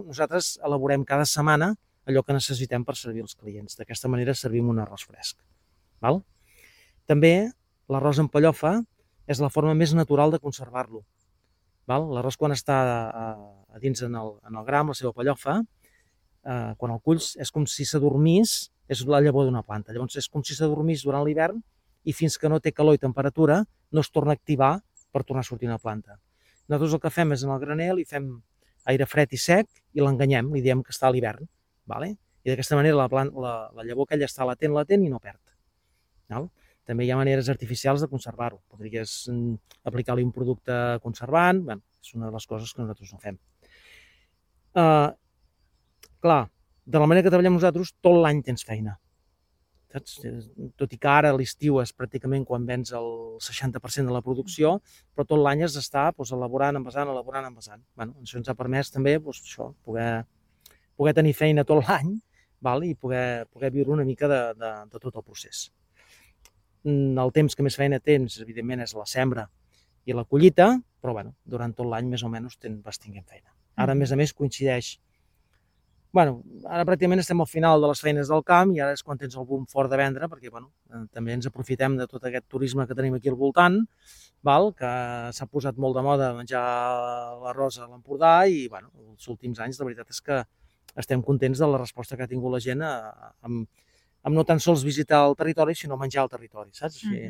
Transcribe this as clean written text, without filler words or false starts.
Nosaltres elaborem cada setmana allò que necessitem per servir els clients. D'aquesta manera servim un arròs fresc. Val? També l'arròs en pellofa és la forma més natural de conservar-lo. L'arròs quan està a dins en el gra, amb la seva pellofa, quan el culls és com si s'adormís, és la llavor d'una planta. Llavors és com si s'adormís durant l'hivern i fins que no té calor i temperatura no es torna a activar per tornar a sortir una planta. Nosaltres el que fem és en el graner li fem aire fred i sec i l'enganyem, li diem que està a l'hivern. I d'aquesta manera la llavor aquella està latent i no perd. També hi ha maneres artificials de conservar-ho. Podries aplicar-li un producte conservant, és una de les coses que nosaltres no fem. Clar, de la manera que treballem nosaltres, tot l'any tens feina. Saps? Tot i que ara a l'estiu és pràcticament quan vens el 60% de la producció, però tot l'any has d'estar elaborant, envasant. Això ens ha permès també poder tenir feina tot l'any i poder viure una mica de tot el procés. El temps que més feina tens, evidentment, és la sembra i la collita, però durant tot l'any més o menys vas tinguent feina. Ara, a més, coincideix. Ara pràcticament estem al final de les feines del camp i ara és quan tens el boom fort de vendre, perquè també ens aprofitem de tot aquest turisme que tenim aquí al voltant, que s'ha posat molt de moda menjar l'arròs a l'Empordà i els últims anys la veritat és que estem contents de la resposta que ha tingut la gent amb no tan sols visitar el territori, sinó menjar el territori, saps? Així,